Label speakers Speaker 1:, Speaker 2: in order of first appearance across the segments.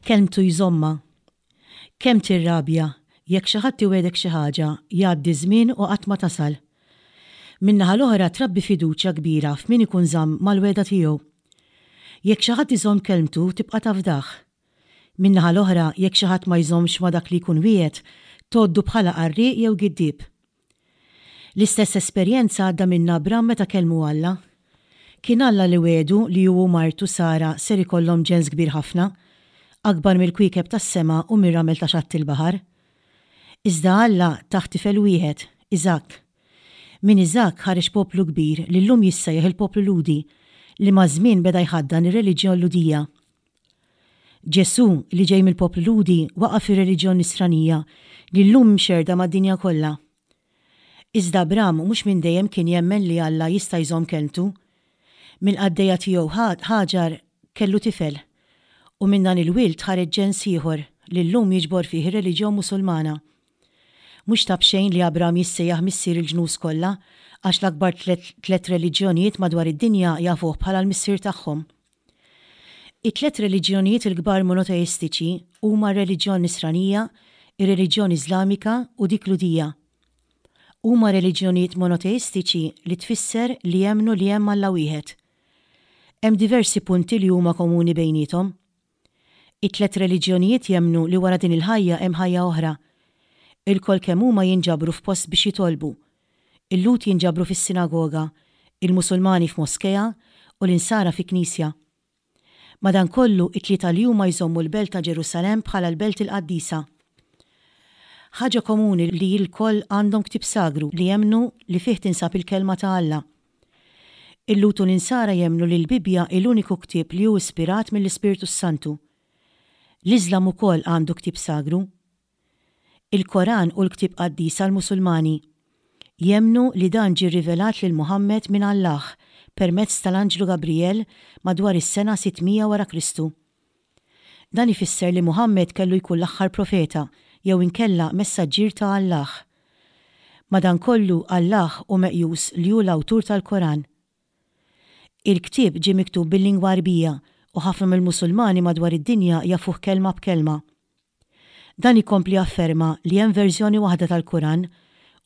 Speaker 1: Kelmtu jżommha. Kemm tirrabja jekk xi ħadd iwiegħdek xi ħaġa, jgħaddi ż-żmien u qatt ma tasal. Min-naħa l-oħra trabbi fiduċja kbira f'min ikun żamm mal-wegħda tiegħu. Jekk xi ħadd iżomm kelmtu tibqa' tafdah. Min-naħa l-oħra jekk xi ħadd ma jżommx ma' dak li jkun wiegħed, tgħoddu bħala qarrieq jew giddieb. L-istess esperjenza għadda minnha Abram meta kellmu Alla. Kien Alla li wiegħdu li hu u martu Sara ser ikollhom ġens kbir ħafna, akbar mill-kwiekeb tas-sema u mir-ramel ta' xatt il-baħar. Iżda Alla tah tifel wieħed, Iżakk. Minn Iżakk ħareġ poplu kbir li llum jissejjaħ il-poplu Lhudi, li maż-żmien beda jħaddan ir-reliġjon Lhudija. Ġesù, li ġej mill-poplu Lhudi, waqaf ir-reliġjon Nisranija li llum mxerrda mad-dinja kollha. Iżda Abram mhux minn dejjem kien jemmen li Alla jista' jżomm kelmtu. Mill-qaddejja tiegħu Ħaġar kellu tifel, u minn dan il-wild ħareġ ġens ieħor li llum jiġbor fih ir-reliġjon Musulmana. Mhux ta' b'xejn li Abram jissejjaħ missier il-ġnus kollha, għax l-akbar tlett reliġjonijiet madwar id-dinja jafuh bħala l-missier tagħhom. It-tlett reliġjonijiet il-kbar monoteistiċi huma r-reliġjon Nisranija, ir-reliġjon Iżlamika u dik Lhudija. Huma reliġjonijiet monoteistiċi li tfisser li jemmnu li hemm Alla wieħed. Hemm diversi punti li huma komuni bejniethom. It-tlett reliġjonijiet jemmnu li wara din il-ħajja hemm ħajja oħra. Ilkoll kemm huma jinġabru f'post biex jitolbu. Il-Lhud jinġabru fis-sinagoga, il-Musulmani f'moskea u l-Insara fi knisja. Madankollu, it-tlieta li huma jżommu l-belt ta' Ġerusalemm bħala l-belt il-qaddisa. Ħaġa komuni li lkoll għandhom ktieb sagru li jemmnu li fih tinsab il-Kelma ta' Alla. Il-Lhud u l-Insara jemmnu li l-Bibbja hi l-uniku ktieb li hu ispirat mill-Ispirtu s-Santu. L-Iżlam ukoll għandu ktieb sagru. Il-Koran hu l-ktieb qaddis għall-Musulmani. Jemmnu li dan ġie rrivelat lil Muħammed minn Allah permezz tal-anġlu Gabrijel madwar is-sena 600 wara Kristu. Dan ifisser li Muħammed kellu jkun l-aħħar profeta jew inkella messaġġier ta' Allah. Madankollu, Allah hu meqjus li hu l-awtur tal-Koran. Il-ktieb ġie miktub bil-lingwa Għarbija u ħafna mill-Musulmani madwar id-dinja jafuh kelma b'kelma. Dan ikompli jafferma li hemm verżjoni waħda tal-Koran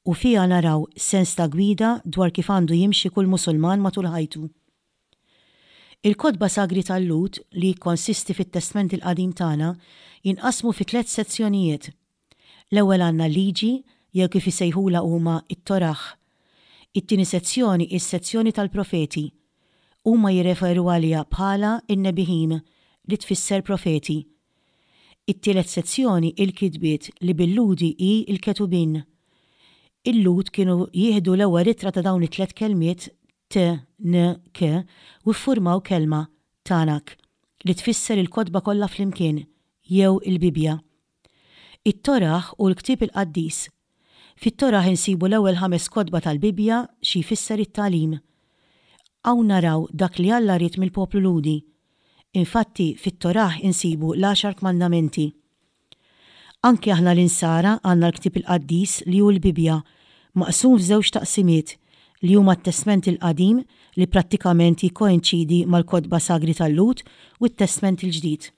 Speaker 1: u fiha naraw sens ta' gwida dwar kif għandu jimxi kull Musulman matul ħajtu. Il-kotba sagri tal-Lhud, li jikkonsisti fit-Testment il-Qadim tagħna, jinqasmu fi tlett sezzjonijiet. L-ewwel għandna l-Liġi, jew kif isejħulha huma, it-Torah. It-tieni sezzjoni hi s-sezzjoni tal-Profeti. Huma jirreferu għaliha bħala n-Nebihim, li tfisser profeti. It-tielet sezzjoni hi l-Kitbiet li bil-Lhudi hi l-Ketubin. Il-Lhud kienu jieħdu l-ewwel ittra ta' dawn it-tlett kelmiet T, N, K, u ffurmaw kelma, Tanakh, li tfisser il-kotba kollha flimkien, jew il-Bibbja. It-Torah hu l-ktieb il-qaddis. Fit-Torah insibu l-ewwel ħames kotba tal-Bibbja, xi jfisser it-tagħlim. Hawn naraw dak li Alla ried mill-poplu Lhudi. Infatti, fit-Torah insibu l-Għaxar Kmandamenti. Anki aħna l-Insara għandna l-ktieb il-qaddis li hu l-Bibbja, maqsum f'żewġ taqsimiet, li huma t-Testment il-Qadim li prattikament jikkoinċidi mal-kotba sagri tal-Lhud u t-Testment il-Ġdid.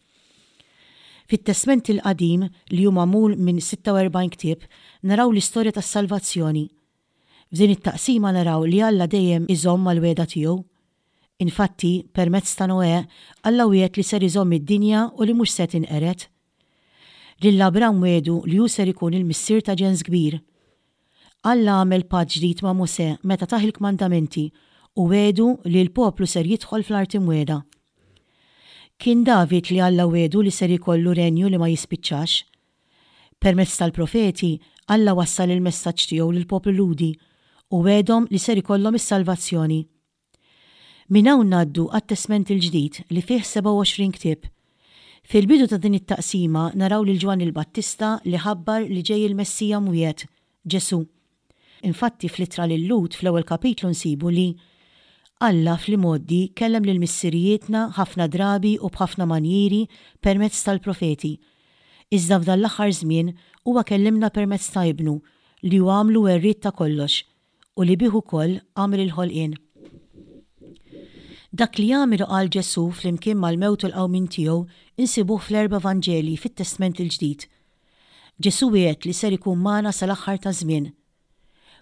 Speaker 1: Fit-Testment il-Qadim, li hu magħmul minn 46 ktieb, naraw l-istorja tas-salvazzjoni. F'din it-taqsima naraw li Alla dejjem iżomm mal-wegħda tiegħu. Infatti, permezz ta' Noè, Alla wiegħed li ser iżomm id-dinja u li mhux se tinqered. Lil Abram wiegħdu li hu ser ikun il-missier ta' ġens kbir. Alla għamel patt ġdid ma' Mosè meta tah il-kmandamenti u wiegħdu li l-poplu ser jidħol fl-Art Imwiegħda. Kien David li Alla wiegħdu li ser ikollu renju li ma jispiċċax. Permezz tal-profeti, Alla wassal il-messaġġ tiegħu lill-poplu Lhudi u wegħedhom li ser ikollhom is-salvazzjoni. Minn hawn ngħaddu għat-Testment il-Ġdid li fih 27 ktieb. Fil-bidu ta' din it-taqsima naraw lil Ġwanni l-Battista li ħabbar li ġej il-Messija mwiegħed, Ġesù. Infatti fl-ittra lil-Lhud fl-ewwel kapitlu nsibu li Alla fl-imgħoddi kellem lil missirijietna ħafna drabi u b'ħafna manjieri permezz tal-profeti. Iżda f'dan l-aħħar żmien huwa kellimna permezz ta' Ibnu, li hu għamlu werriet ta' kollox, u li bih ukoll għamel il-ħolqien. Dak li għamel u qal Ġesù flimkien mal-mewt u l-qawmien tiegħu insibuh fl-erba' Vanġeli fit-Testment il-Ġdid. Ġesù wiegħed li ser ikun magħna sal-aħħar taż-żmien.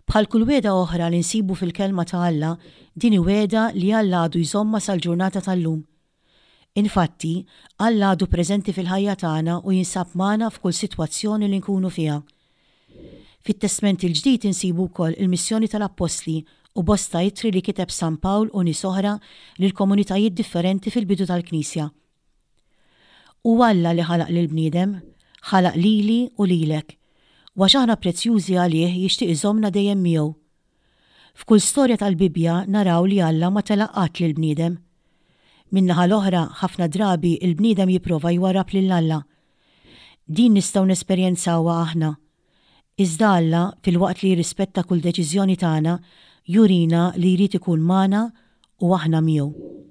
Speaker 1: Bħal kull wegħda oħra li nsibu fil-Kelma ta' Alla, din hi wegħda li Alla għadu jżommha sal-ġurnata tal-lum. Infatti, Alla għadu preżenti fil-ħajja tagħna u jinsab magħna f'kull sitwazzjoni li nkunu fiha. Fit-Testment il-Ġdid insibu wkoll il-missjoni tal-Appostli u bosta ittri li kiteb San Pawl u nies oħra lil komunitajiet differenti fil-bidu tal-Knisja. Hu Alla li ħalaq lill-bniedem, ħalaq lili u lilek, u għax aħna prezzjużi għalih jixtieq iżommna dejjem miegħu. F'kull storja tal-Bibbja naraw li Alla ma telaq qatt lill-bniedem. Min-naħa l-oħra, ħafna drabi l-bniedem jipprova jwarrab lil Alla. Din nistgħu nesperjenzawha aħna. Iżda Alla, filwaqt li jirrispetta kull deċiżjoni tagħna, jurina li jrid ikun magħna u aħna miegħu.